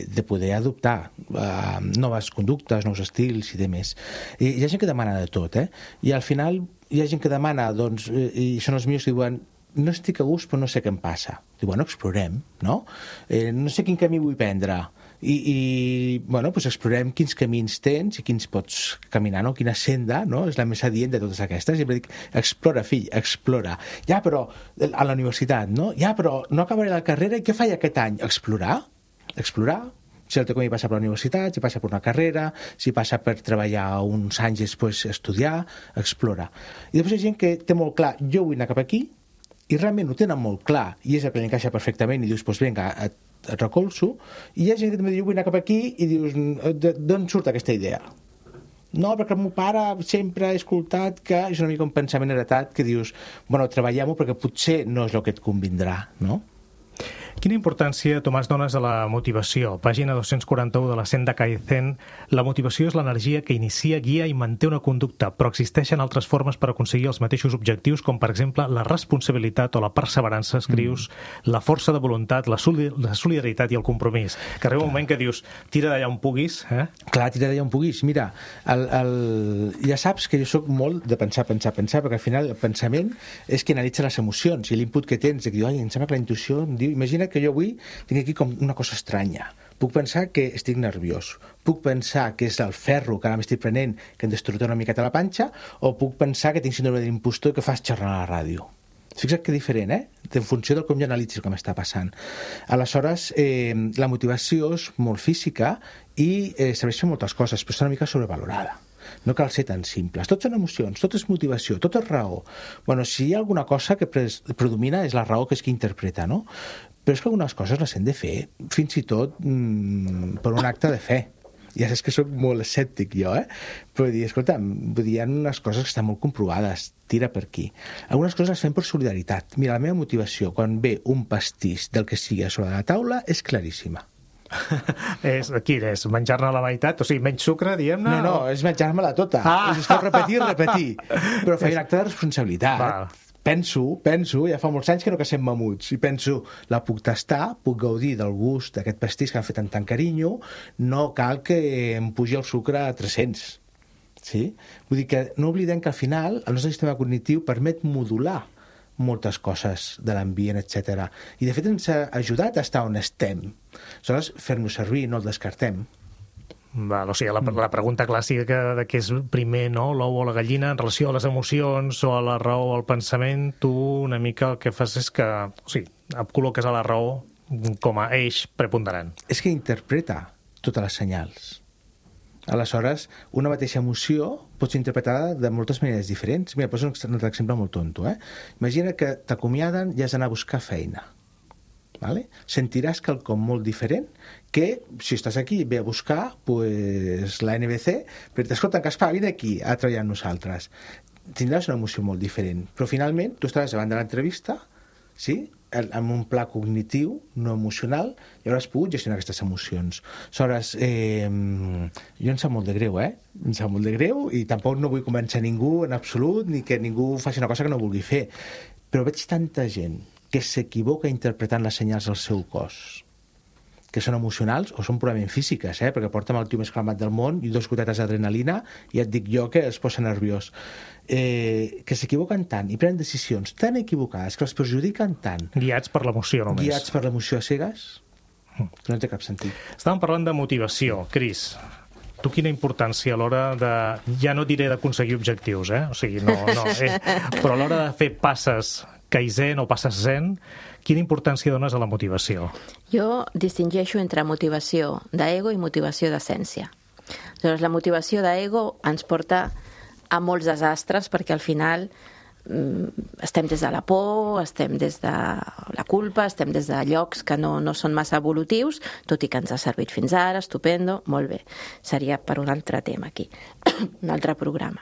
de poder adoptar uh, noves conductes, nous estils i demés. I hi ha gent que demana de tot, eh? I al final hi ha gent que demana, doncs, i són els millors que diuen no estic a gust però no sé què em passa. Diu, bueno, explorem, no? Eh, no sé quin camí vull prendre. I, i bueno, doncs explorem quins camins tens i quins pots caminar, no? Quina senda, no? És la més adient de totes aquestes. I sempre dic, explora, fill, explora. Ja, però a la universitat, no? Ja, però no acabaré la carrera i què faig aquest any? Explorar, explorar. Si el teu camí passa per la universitat, si passa per una carrera, si passa per treballar uns anys i després estudiar, explora. I després hi ha gent que té molt clar, jo vull anar cap aquí, i realment ho tenen molt clar, i és el que li encaixa perfectament, i dius, doncs vinga, et, et recolzo, i hi ha gent que també diu, vull anar cap aquí, i dius, d'on surt aquesta idea? No, perquè el meu pare sempre ha escoltat que és una mica un pensament heretat que dius, bueno, treballem-ho perquè potser no és el que et convindrà, no? Quina importància, Tomàs, dones a la motivació? Pàgina dos-cents quaranta-u de la Senda Kaizen. La motivació és l'energia que inicia, guia i manté una conducta, però existeixen altres formes per aconseguir els mateixos objectius, com per exemple la responsabilitat o la perseverança, escrius, mm. la força de voluntat, la, soli la solidaritat i el compromís. Que arriba un moment que dius, tira d'allà on puguis. Eh? Clar, tira d'allà on puguis. Mira, el, el... ja saps que jo soc molt de pensar, pensar, pensar, perquè al final el pensament és que analitza les emocions i l'input que tens, que diu, ai, em sembla que la intuïció em diu, imagina que jo avui tinc aquí com una cosa estranya. Puc pensar que estic nerviós, puc pensar que és el ferro que ara m'estic prenent que em destruirà una miqueta la panxa, o puc pensar que tinc síndrome de l'impostor i que fas xerrar a la ràdio. Fixa't que diferent, eh? En funció del com jo analitzis el que m'està passant. Aleshores, eh, la motivació és molt física i eh, serveix per moltes coses, però està una mica sobrevalorada. No cal ser tan simples. Tot són emocions, tot és motivació, tot és raó. Bueno, si hi ha alguna cosa que predomina és la raó, que és qui interpreta, no? Però és que algunes coses les hem de fer, fins i tot mmm, per un acte de fe. Ja saps que soc molt escèptic jo, eh? Però dir, escolta, vull dir, hi ha unes coses que estan molt comprovades, tira per aquí. Algunes coses les fem per solidaritat. Mira, la meva motivació, quan ve un pastís del que sigui a sobre la taula, és claríssima. és, quin és? Menjar-ne la meitat? O sigui, menys sucre, diguem-ne? No, no, o... és menjar-me-la tota. Ah. És que repetir, repetir. Però faig un acte de responsabilitat. Val. Penso, penso, ja fa molts anys que no cacem mamuts, i penso, la puc tastar, puc gaudir del gust d'aquest pastís que han fet amb tant carinyo, no cal que em pugi el sucre a tres-cents. Sí? Vull dir que no oblidem que al final el nostre sistema cognitiu permet modular moltes coses de l'ambient, etcètera. I de fet ens ha ajudat a estar on estem. Aleshores, fer-nos servir, no el descartem. Val, o sigui, la, la pregunta clàssica de què és primer, no?, l'ou o la gallina, en relació a les emocions o a la raó o al pensament, tu una mica el que fas és que, o sigui, et col·loques a la raó com a eix preponderant. És que interpreta totes les senyals. Aleshores, una mateixa emoció pot ser interpretada de moltes maneres diferents. Mira, poso un altre exemple molt tonto, eh? Imagina que t'acomiaden i has d'anar a buscar feina. Vale? Sentiràs quelcom molt diferent que, si estàs aquí, ve a buscar pues, la N B C, però t'escolta, Gaspar, vine aquí a treballar amb nosaltres. tindràs una emoció molt diferent. Però finalment tu estaràs davant de l'entrevista, sí?, amb un pla cognitiu, no emocional, i hauràs pogut gestionar aquestes emocions. Aleshores, eh, jo em sap molt de greu, eh? Em sap molt de greu i tampoc no vull convèncer ningú en absolut, ni que ningú faci una cosa que no vulgui fer. Però veig tanta gent que s'equivoca interpretant les senyals del seu cos, que són emocionals o són purament físiques, eh? Perquè porta'm el tio més calmat del món i dos gotetes d'adrenalina i et dic jo que es posa nerviós. Eh, que s'equivoquen tant i prenen decisions tan equivocades que els perjudiquen tant. Guiats per l'emoció només. Guiats per l'emoció a cegues, que no té cap sentit. Estàvem parlant de motivació. Cris, tu quina importància a l'hora de... Ja no diré d'aconseguir objectius, eh? O sigui, no... no eh? Però a l'hora de fer passes Kaizen o passes Zen, quina importància dones a la motivació? Jo distingeixo entre motivació d'ego i motivació d'essència. Llavors, la motivació d'ego ens porta a molts desastres, perquè al final estem des de la por, estem des de la culpa, estem des de llocs que no, no són massa evolutius, tot i que ens ha servit fins ara, estupendo, molt bé. Seria per un altre tema aquí, un altre programa.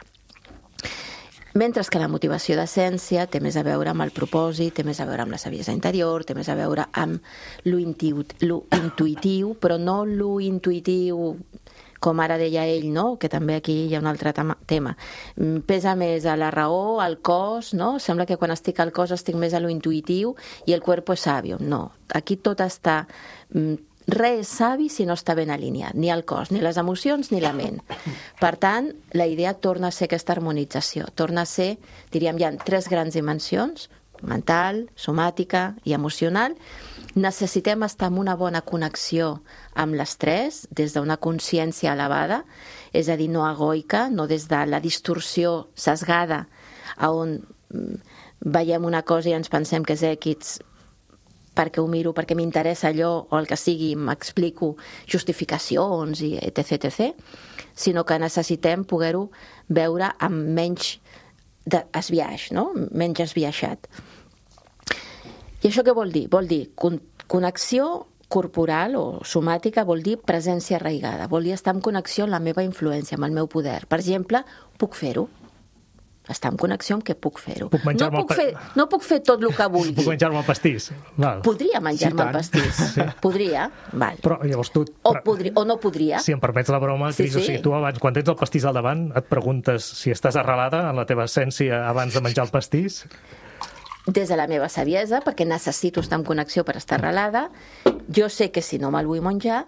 Mentre que la motivació d'essència té més a veure amb el propòsit, té més a veure amb la saviesa interior, té més a veure amb lo intuïtiu, però no lo intuïtiu com ara deia ell, no? Que també aquí hi ha un altre tema. Pesa més a la raó, al cos, no? Sembla que quan estic al cos estic més a lo intuïtiu i el cuerpo és sabio. No, aquí tot està... Res és savi si no està ben alineat, ni el cos, ni les emocions, ni la ment. Per tant, la idea torna a ser aquesta harmonització, torna a ser, diríem, hi ha tres grans dimensions, mental, somàtica i emocional. Necessitem estar en una bona connexió amb les tres, des d'una consciència elevada, és a dir, no egoica, no des de la distorsió sesgada, on veiem una cosa i ens pensem que és èquits, perquè ho miro, perquè m'interessa allò, o el que sigui, m'explico justificacions i etc, etc, sinó que necessitem poder-ho veure amb menys esbiaix, no? Menys esbiaixat. I això què vol dir? Vol dir connexió corporal o somàtica, vol dir presència arraigada, vol dir estar en connexió amb la meva influència, amb el meu poder. Per exemple, puc fer-ho. Estar en connexió amb què puc fer-ho. Puc no, puc fer, no puc fer tot el que vulgui. Puc menjar-me el pastís. Val. Podria menjar-me sí, el pastís. Sí. Podria. Val. Però llavors tu... O, podri... o no podria. Si em permets la broma, Cris, sí, sí. O sigui, tu abans, quan tens el pastís al davant, et preguntes si estàs arrelada en la teva essència abans de menjar el pastís? Des de la meva saviesa, perquè necessito estar en connexió per estar arrelada, jo sé que si no me'l vull menjar,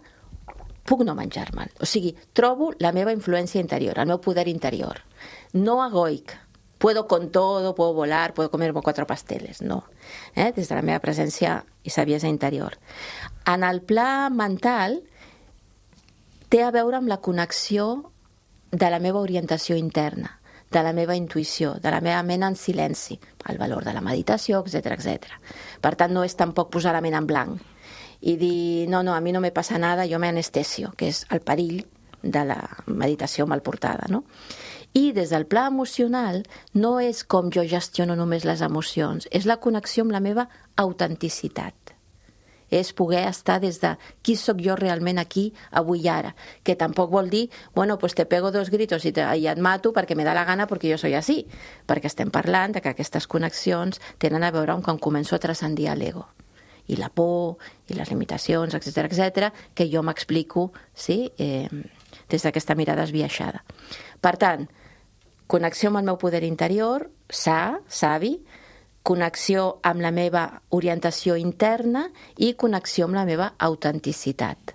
puc no menjar-me'l. O sigui, trobo la meva influència interior, el meu poder interior. No egoic. Puedo con todo, puedo volar, puedo comerme cuatro pasteles. No. Eh? Des de la meva presència i saviesa interior. En el pla mental, té a veure amb la connexió de la meva orientació interna, de la meva intuïció, de la meva ment en silenci, el valor de la meditació, etcètera, etcètera. Per tant, no és tampoc posar la ment en blanc i dir, no, no, a mi no me passa nada, jo me anestesio, que és el perill de la meditació mal portada, no? I des del pla emocional no és com jo gestiono només les emocions, és la connexió amb la meva autenticitat. És poder estar des de qui sóc jo realment aquí, avui i ara, que tampoc vol dir, bueno, pues te pego dos gritos i, te, i et mato perquè me da la gana perquè jo soy así, perquè estem parlant de que aquestes connexions tenen a veure amb quan començo a transcendir l'ego i la por i les limitacions, etcètera, etcètera, que jo m'explico, sí, eh, des d'aquesta mirada esbiaixada. Per tant, connexió amb el meu poder interior, sa, savi, connexió amb la meva orientació interna i connexió amb la meva autenticitat.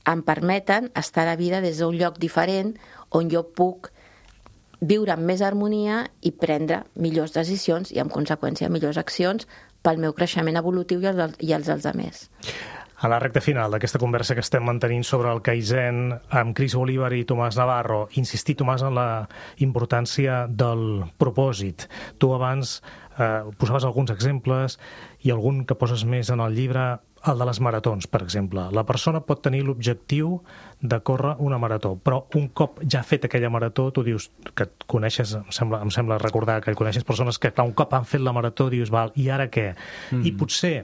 Em permeten estar a la vida des d'un lloc diferent on jo puc viure amb més harmonia i prendre millors decisions i, en conseqüència, millors accions pel meu creixement evolutiu i els, i els dels altres. A la recta final d'aquesta conversa que estem mantenint sobre el Kaizen amb Cris Bolívar i Tomàs Navarro, insistir, Tomàs, en la importància del propòsit. Tu abans eh, posaves alguns exemples i algun que poses més en el llibre. el de les maratons, per exemple. La persona pot tenir l'objectiu de córrer una marató, però un cop ja ha fet aquella marató, tu dius que et coneixes, em sembla, em sembla recordar que coneixes persones que, clar, un cop han fet la marató, dius, val, i ara què? Mm. I potser,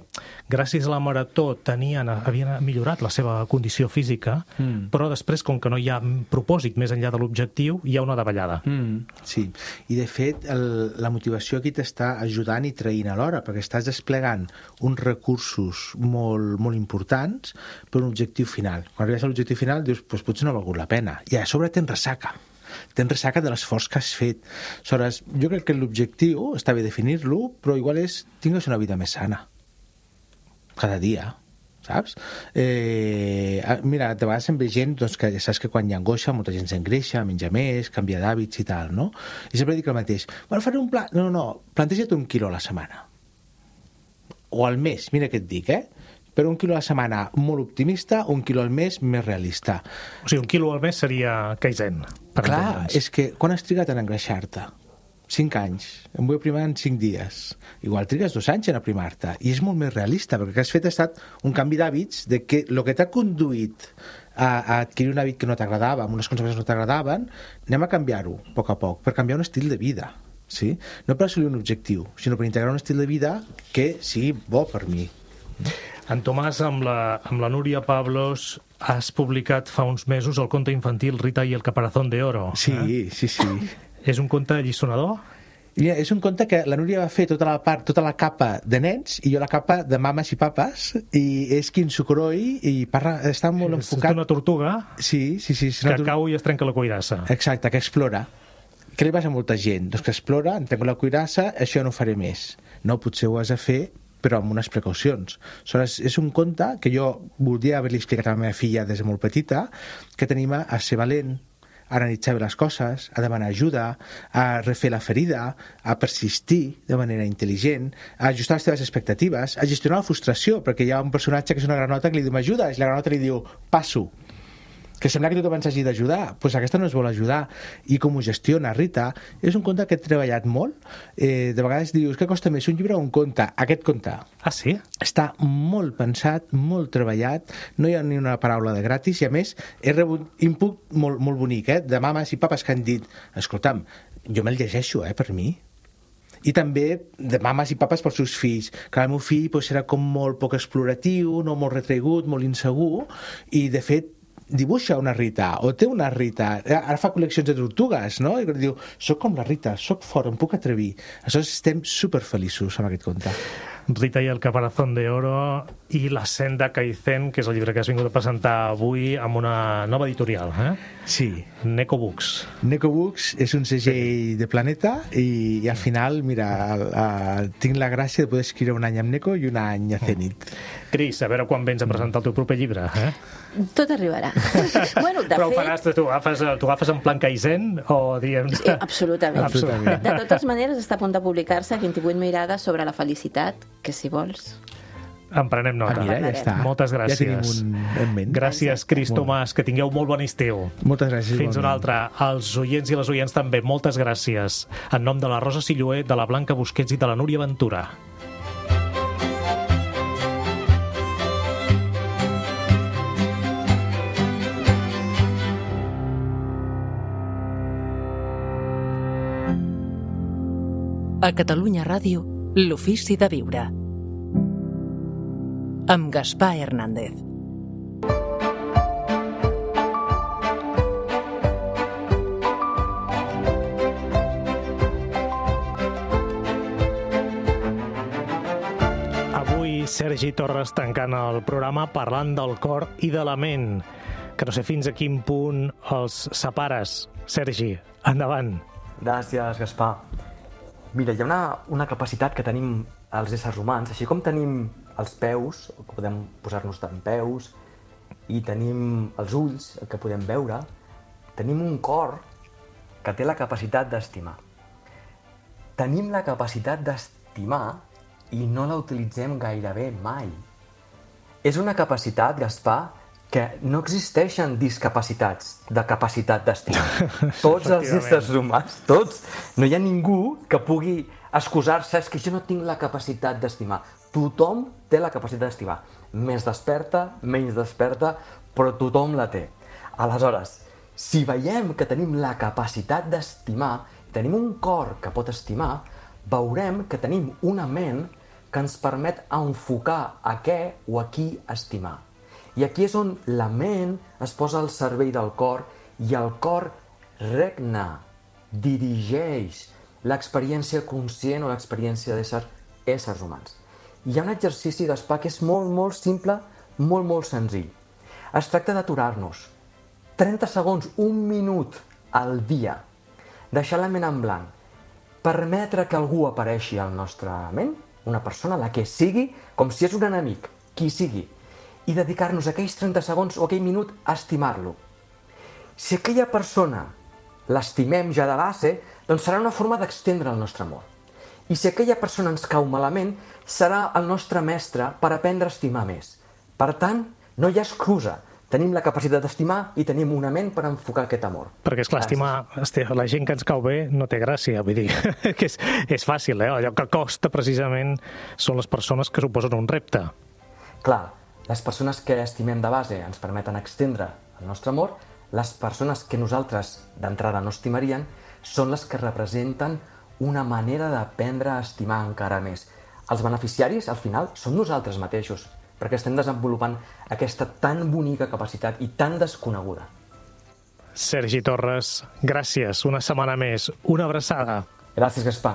gràcies a la marató, tenien, havien millorat la seva condició física, mm. però després, com que no hi ha propòsit més enllà de l'objectiu, hi ha una davallada. Mm. Sí, i de fet, el, la motivació aquí t'està ajudant i traint alhora, perquè estàs desplegant uns recursos molt, molt importants per un objectiu final. Quan arribes a l'objectiu final dius, pues, potser no ha valgut la pena. I a sobre tens ressaca. Tens ressaca de l'esforç que has fet. Aleshores, jo crec que l'objectiu, està bé definir-lo, però igual és tingues una vida més sana. Cada dia, saps? Eh, mira, de vegades em ve gent doncs, que ja saps que quan hi ha angoixa molta gent s'engreixa, menja més, canvia d'hàbits i tal, no? I sempre dic el mateix. Bueno, faré un pla... No, no, no, planteja't un quilo a la setmana. O al mes, mira què et dic, eh? Però un quilo a la setmana molt optimista, un quilo al mes més realista. O sigui, un quilo al mes seria Kaizen. Per Clar, entendre'ns. és que quan has trigat en engreixar-te? Cinc anys. Em vull aprimar en cinc dies. Igual trigues dos anys en aprimar-te. I és molt més realista, perquè el que has fet ha estat un canvi d'hàbits de que el que t'ha conduït a, a adquirir un hàbit que no t'agradava, amb unes conseqüències que no t'agradaven, anem a canviar-ho a poc a poc, per canviar un estil de vida. Sí? No per assolir un objectiu, sinó per integrar un estil de vida que sigui bo per mi. En Tomàs, amb la, amb la Núria Pablos, has publicat fa uns mesos el conte infantil Rita i el caparazón de oro. Sí, eh? sí, sí. És un conte allisonador? Mira, és un conte que la Núria va fer tota la part, tota la capa de nens i jo la capa de mames i papes, i és Kinsukuroi i parla, està molt és enfocat... És una tortuga sí, sí, sí, que tur... cau i es trenca la cuirassa. Exacte, que explora. Què li passa a molta gent? Doncs que explora, em trenco la cuirassa, això no ho faré més. No, potser ho has de fer, però amb unes precaucions. Aleshores, és un conte que jo voldria haver-li explicat a la meva filla des de molt petita, que tenim a ser valent, a analitzar bé les coses, a demanar ajuda, a refer la ferida, a persistir de manera intel·ligent, a ajustar les teves expectatives, a gestionar la frustració, perquè hi ha un personatge que és una granota que li diu m'ajudes, i la granota li diu passo, que sembla que tothom ens hagi d'ajudar, doncs pues aquesta no es vol ajudar. I com ho gestiona Rita, és un conte que he treballat molt. Eh, de vegades dius, què costa més, un llibre o un conte? Aquest conte. Ah, sí? Està molt pensat, molt treballat, no hi ha ni una paraula de gratis, i a més he rebut input molt, molt bonic, eh, de mames i papes que han dit, escolta'm, jo me'l llegeixo, eh, per mi. I també de mames i papes pels seus fills, que el meu fill pues, era com molt poc exploratiu, no molt retraigut, molt insegur, i de fet dibuixa una Rita, o té una Rita, ara fa col·leccions de tortugues, no? I diu, soc com la Rita, soc fort, em puc atrevir. Aleshores estem superfeliços amb aquest conte. Rita i el caparazón de oro i la senda Kaizen, que és el llibre que has vingut a presentar avui amb una nova editorial, eh? Sí. Neko Books. Neko Books és un segell de Planeta i, i al final, mira, a, a, tinc la gràcia de poder escriure un any amb Neko i un any a Zenit. Cris, a veure quan vens a presentar el teu proper llibre, eh? Tot arribarà. Bueno, de Però ho fet... faràs, tu agafes, tu agafes en plan Kaizen o diem... Sí, absolutament. Absolutament. De totes maneres, està a punt de publicar-se vint-i-vuit mirades sobre la felicitat, que si vols... En prenem nota. Ah, mira, ja està. Moltes gràcies. Ja tenim un en ment. Gràcies, Cris Tomàs, que tingueu molt bon estiu. Moltes gràcies. Fins una altra. Als oients i les oients també, moltes gràcies. En nom de la Rosa Silloé, de la Blanca Busquets i de la Núria Ventura. A Catalunya Ràdio, l'ofici de viure. Amb Gaspar Hernández. Avui Sergi Torres tancant el programa parlant del cor i de la ment, que no sé fins a quin punt els separes. Sergi, endavant. Gràcies, Gaspar. Mira, hi ha una, una capacitat que tenim els éssers humans, així com tenim els peus, que podem posar-nos d'en peus, i tenim els ulls, que podem veure, tenim un cor que té la capacitat d'estimar. Tenim la capacitat d'estimar i no la utilitzem gairebé mai. És una capacitat, Gaspar, que no existeixen discapacitats de capacitat d'estimar. Tots els éssers humans, tots, no hi ha ningú que pugui excusar-se, és que jo no tinc la capacitat d'estimar. Tothom té la capacitat d'estimar. més desperta, menys desperta, però tothom la té. Aleshores, si veiem que tenim la capacitat d'estimar, tenim un cor que pot estimar, veurem que tenim una ment que ens permet enfocar a què o a qui estimar. I aquí és on la ment es posa al servei del cor i el cor regna, dirigeix l'experiència conscient o l'experiència d'ésser éssers humans. Hi ha un exercici, Gaspar, que és molt, molt simple, molt, molt senzill. Es tracta d'aturar-nos. trenta segons, un minut al dia. Deixar la ment en blanc. Permetre que algú apareixi al nostre ment, una persona, la que sigui, com si és un enemic, qui sigui, i dedicar-nos aquells trenta segons o aquell minut a estimar-lo. Si aquella persona l'estimem ja de base, doncs serà una forma d'extendre el nostre amor. I si aquella persona ens cau malament, serà el nostre mestre per aprendre a estimar més. Per tant, no hi ha excusa. Tenim la capacitat d'estimar i tenim una ment per enfocar aquest amor. Perquè, esclar, estimar la gent que ens cau bé no té gràcia, vull dir, que és, és fàcil, eh? Allò que costa precisament són les persones que suposen un repte. Clar, les persones que estimem de base ens permeten extendre el nostre amor, les persones que nosaltres d'entrada no estimarien són les que representen una manera d'aprendre a estimar encara més. Els beneficiaris, al final, som nosaltres mateixos, perquè estem desenvolupant aquesta tan bonica capacitat i tan desconeguda. Sergi Torres, gràcies una setmana més. Una abraçada. Gràcies, Gaspar.